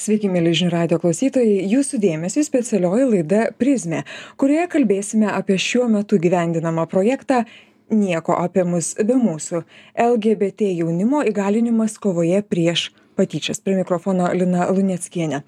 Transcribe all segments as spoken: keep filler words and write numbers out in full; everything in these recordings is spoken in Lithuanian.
Sveiki, mėly žinių radijo klausytojai, jūsų dėmesiui specialioji laida Prizmė, kurioje kalbėsime apie šiuo metu gyvendinamą projektą Nieko apie mus be mūsų – L G B T jaunimo įgalinimas kovoje prieš patyčias. Prie mikrofono Lina Luneckienė.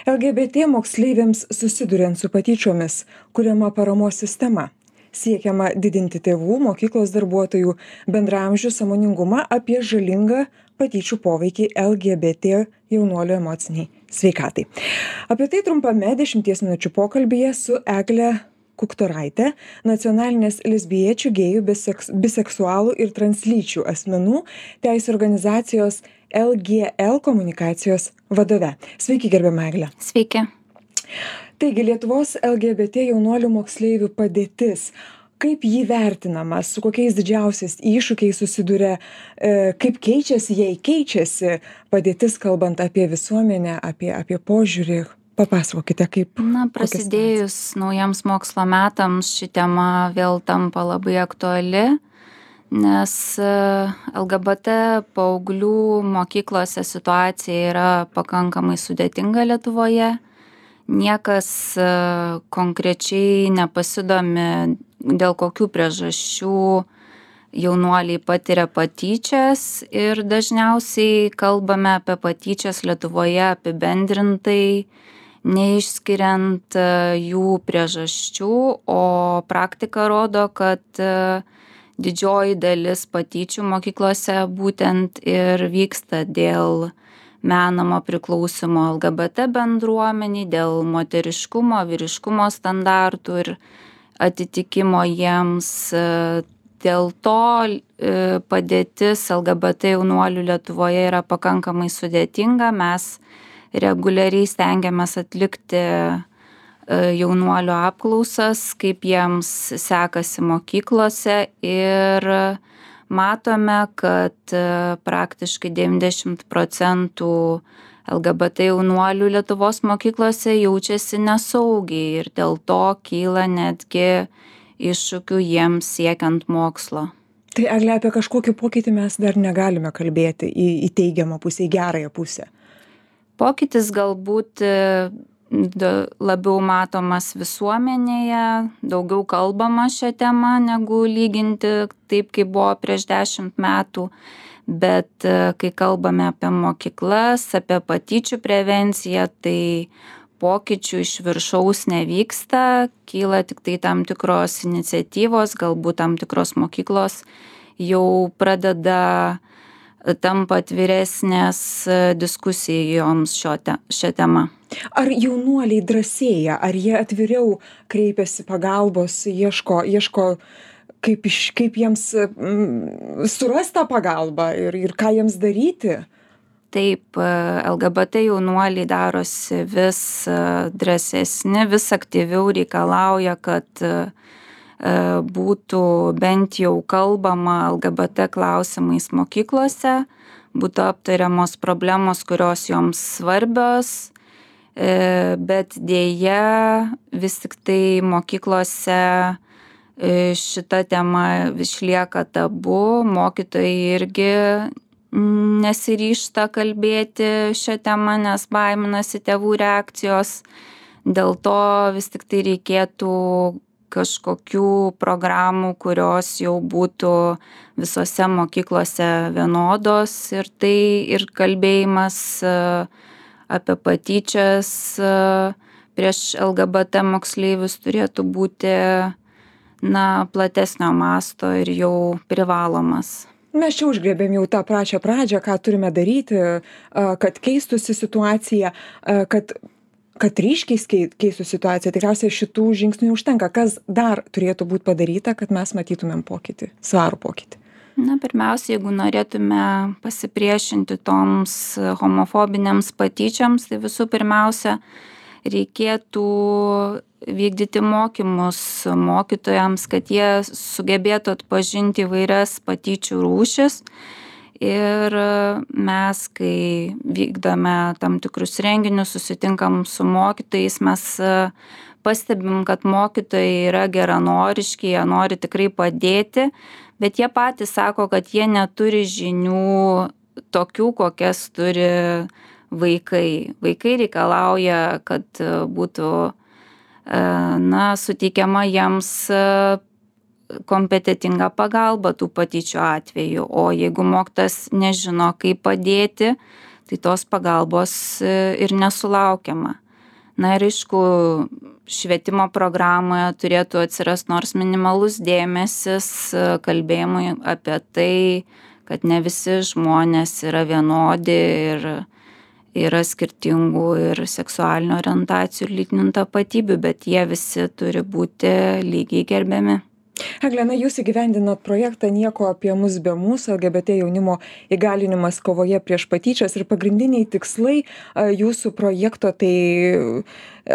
L G B T moksleiviams susiduriant su patyčiomis kuriama paramos sistema. Siekiama didinti tėvų, mokyklos darbuotojų, bendraamžių sąmoningumą apie žalingą patyčių poveikį L G B T jaunuolių emociniai sveikatai. Apie tai trumpame dešimties minučių pokalbyje su Egle Kuktoraite, nacionalinės lesbiečių, gėjų, biseks, biseksualų ir translyčių asmenų teisių organizacijos L G L komunikacijos vadove. Sveiki, gerbiama Egle. Sveiki. Taigi, Lietuvos L G B T jaunuolių moksleivių padėtis. Kaip jį vertinama, su kokiais didžiausiais iššūkiais susiduria, e, kaip keičiasi, jei keičiasi padėtis, kalbant apie visuomenę, apie, apie požiūrį. Papasakokite, kaip. Na, prasidėjus naujiems mokslo metams ši tema vėl tampa labai aktuali, nes L G B T paauglių mokyklose situacija yra pakankamai sudėtinga Lietuvoje. Niekas konkrečiai nepasidomi, dėl kokių priežasčių jaunuoliai patiria patyčias ir dažniausiai kalbame apie patyčias Lietuvoje apibendrintai, neišskiriant jų priežasčių, o praktika rodo, kad didžioji dalis patyčių mokyklose būtent ir vyksta dėl menamo priklausimo L G B T bendruomeniai, dėl moteriškumo, vyriškumo standartų ir atitikimo jiems. Dėl to padėtis L G B T jaunuolių Lietuvoje yra pakankamai sudėtinga. Mes reguliariai stengiamės atlikti jaunuolių apklausas, kaip jiems sekasi mokyklose ir matome, kad praktiškai devyniasdešimt procentų L G B T jaunuolių Lietuvos mokyklose jaučiasi nesaugiai ir dėl to kyla netgi iššūkių jiems siekiant mokslo. Tai Egle, apie kažkokį pokytį mes dar negalime kalbėti į, į teigiamą pusę, į gerąją pusę. Pokytis galbūt labiau matomas visuomenėje, daugiau kalbama šią temą negu lyginti taip, kaip buvo prieš dešimt metų. Bet kai kalbame apie mokyklas, apie patyčių prevenciją, tai pokyčių iš viršaus nevyksta, kyla tik tai tam tikros iniciatyvos, galbūt tam tikros mokyklos jau pradeda tampa atviresnės diskusijoms šio te, šią temą. Ar jaunuoliai drąsėja, ar jie atviriau kreipiasi pagalbos, ieško, ieško kaip, iš, kaip jiems mm, surasti tą pagalbą ir, ir ką jiems daryti? Taip, L G B T jaunuoliai darosi vis drąsesni, vis aktyviau reikalauja, kad būtų bent jau kalbama L G B T klausimais mokyklose, būtų aptariamos problemos, kurios joms svarbios, bet dėja vis tik tai mokyklose šita tema išlieka tabu, mokytojai irgi nesiryžta kalbėti šią temą, nes baiminasi tėvų reakcijos. Dėl to vis tik tai reikėtų kažkokių programų, kurios jau būtų visose mokyklose vienodos ir tai ir kalbėjimas apie patyčias prieš L G B T moksleivius turėtų būti na, platesnio masto ir jau privalomas. Mes čia užgrėbėm jau tą pačią pradžią, ką turime daryti, kad keistųsi situacija, kad kad ryškiai keistų situaciją. Tikriausiai šitų žingsnių užtenka. Kas dar turėtų būti padaryta, kad mes matytumėm pokytį, svarų pokytį? Na, pirmiausia, jeigu norėtume pasipriešinti toms homofobinėms patyčiams, tai visų pirmiausia, reikėtų vykdyti mokymus mokytojams, kad jie sugebėtų atpažinti įvairias patyčių rūšis. Ir mes, kai vykdome tam tikrus renginius, susitinkam su mokytojais, mes pastebim, kad mokytojai yra geranoriški, jie nori tikrai padėti, bet jie patys sako, kad jie neturi žinių tokių, kokias turi vaikai. Vaikai reikalauja, kad būtų na, suteikiama jiems kompetentinga pagalba tų patyčių atveju, o jeigu mokytojas nežino, kaip padėti, tai tos pagalbos ir nesulaukiama. Na ir aišku, švietimo programoje turėtų atsirasti nors minimalus dėmesis kalbėjimui apie tai, kad ne visi žmonės yra vienodi ir yra skirtingų ir seksualinių orientacijų ir lytinių tapatybių, bet jie visi turi būti lygiai gerbiami. Egle, na, jūs įgyvendinat projektą Nieko apie mus be mūsų, L G B T jaunimo įgalinimas kovoje prieš patyčias ir pagrindiniai tikslai jūsų projekto tai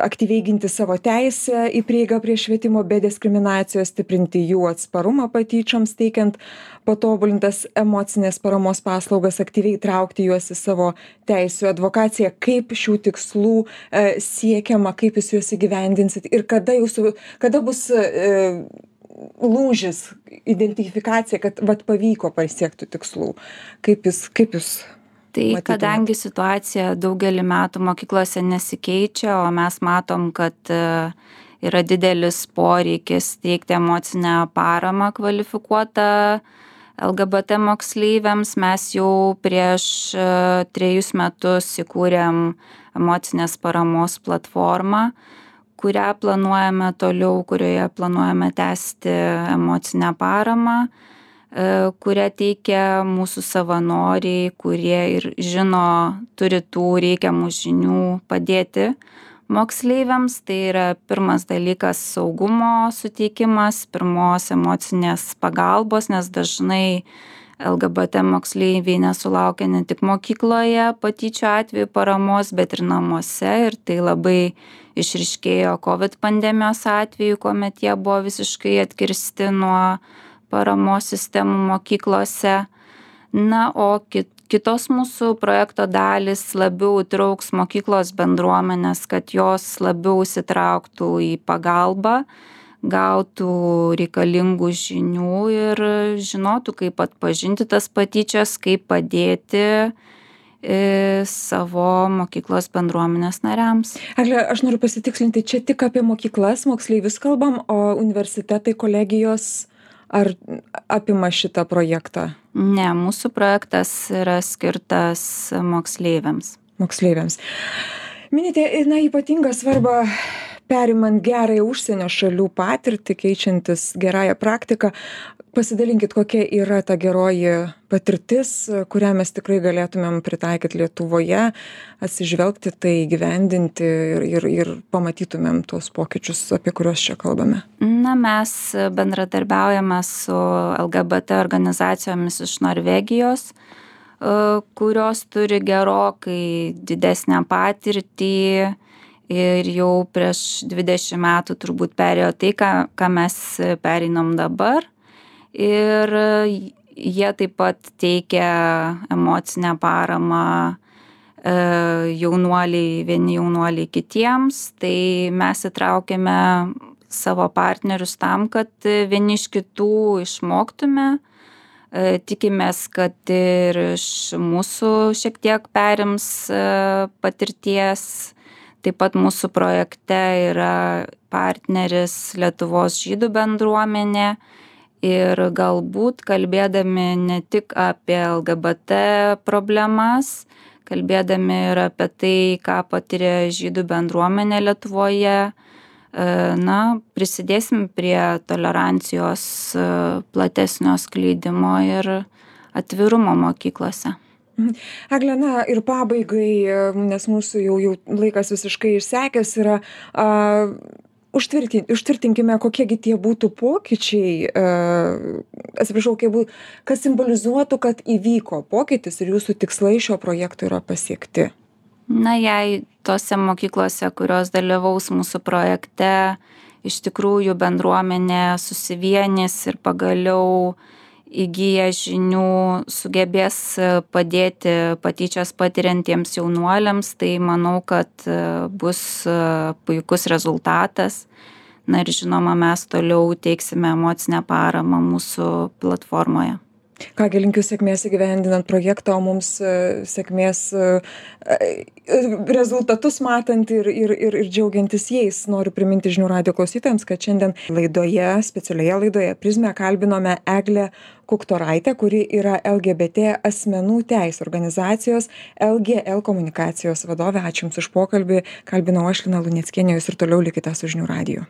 aktyviai ginti savo teisę į prieigą prie švietimo be diskriminacijos, stiprinti jų atsparumą patyčioms, teikiant patobulintas emocinės paramos paslaugas, aktyviai traukti juos į savo teisių advokaciją. Kaip šių tikslų e, siekiama, kaip jūs juos įgyvendinsit ir kada, jūsų, kada bus e, lūžis, identifikacija, kad vat, pavyko pasiekti tikslų. Kaip jūs, kaip jūs tai matytumėt? Kadangi situacija daugelį metų mokyklose nesikeičia, o mes matom, kad yra didelis poreikis teikti emocinę paramą kvalifikuotą L G B T moksleiviams, mes jau prieš trejus metus įkūrėm emocinės paramos platformą, kurią planuojame toliau, kurioje planuojame tęsti emocinę paramą, kurią teikia mūsų savanoriai, kurie ir žino, turi tų reikiamų žinių padėti moksleiviams. Tai yra pirmas dalykas - saugumo suteikimas, pirmos emocinės pagalbos, nes dažnai L G B T moksleiviai nesulaukia ne tik mokykloje patyčių atveju paramos, bet ir namuose, ir tai labai išryškėjo COVID pandemijos atveju, kuomet jie buvo visiškai atkirsti nuo paramos sistemų mokyklose. Na, o kit, kitos mūsų projekto dalis labiau įtrauks mokyklos bendruomenės, kad jos labiau įsitrauktų į pagalbą, gautų reikalingų žinių ir žinotų, kaip atpažinti tas patyčias, kaip padėti savo mokyklos bendruomenės nariams. Egle, aš noriu pasitikslinti, čia tik apie mokyklas, moksleivius kalbam, o universitetai, kolegijos ar apima šitą projektą? Ne, mūsų projektas yra skirtas moksleiviams. Moksleiviams. Minite, na, ypatingą svarbą perimant gerąją užsienio šalių patirtį, keičiantis gerąją praktiką. Pasidalinkit, kokia yra ta geroji patirtis, kurią mes tikrai galėtumėm pritaikyti Lietuvoje, atsižvelgti tai, įgyvendinti ir, ir, ir pamatytumėm tos pokyčius, apie kuriuos čia kalbame. Na, mes bendradarbiaujame su L G B T organizacijomis iš Norvegijos, kurios turi gerokai didesnę patirtį ir jau prieš dvidešimt metų turbūt perėjo tai, ką, ką mes pereinam dabar. Ir jie taip pat teikia emocinę paramą jaunuoliai, vieni jaunuoliai kitiems. Tai mes įtraukėme savo partnerius tam, kad vieni iš kitų išmoktume. Tikimės, kad ir iš mūsų šiek tiek perims patirties. Taip pat mūsų projekte yra partneris Lietuvos žydų bendruomenė. Ir galbūt kalbėdami ne tik apie L G B T problemas, kalbėdami ir apie tai, ką patiria žydų bendruomenė Lietuvoje, na, prisidėsim prie tolerancijos platesnio skleidimo ir atvirumo mokyklose. Egle, na, ir pabaigai, nes mūsų jau, jau laikas visiškai išsekęs yra, a, užtvirtinkime, kokiegi tie būtų pokyčiai, atsiprašau, kas simbolizuotų, kad įvyko pokytis ir jūsų tikslai šio projekto yra pasiekti. Na, jei tose mokyklose, kurios dalyvaus mūsų projekte, iš tikrųjų bendruomenė susivienys ir pagaliau įgyję žinių sugebės padėti patyčias patiriantiems jaunuoliams, tai manau, kad bus puikus rezultatas. Na ir žinoma, mes toliau teiksime emocinę paramą mūsų platformoje. Kągi, linkiu sėkmės įgyvendinant projektą, o mums sėkmės rezultatus matant ir, ir, ir, ir džiaugiantis jais. Noriu priminti žinių radijo klausytojams, kad šiandien laidoje, specialioje laidoje Prizmė kalbinome Eglę Kuktoraitę, kuri yra L G B T asmenų teisių organizacijos L G L komunikacijos vadovė. Ačiū Jums už pokalbį. Kalbinau aš, Lina Luneckienė, Jūs ir toliau likite su žinių radiju.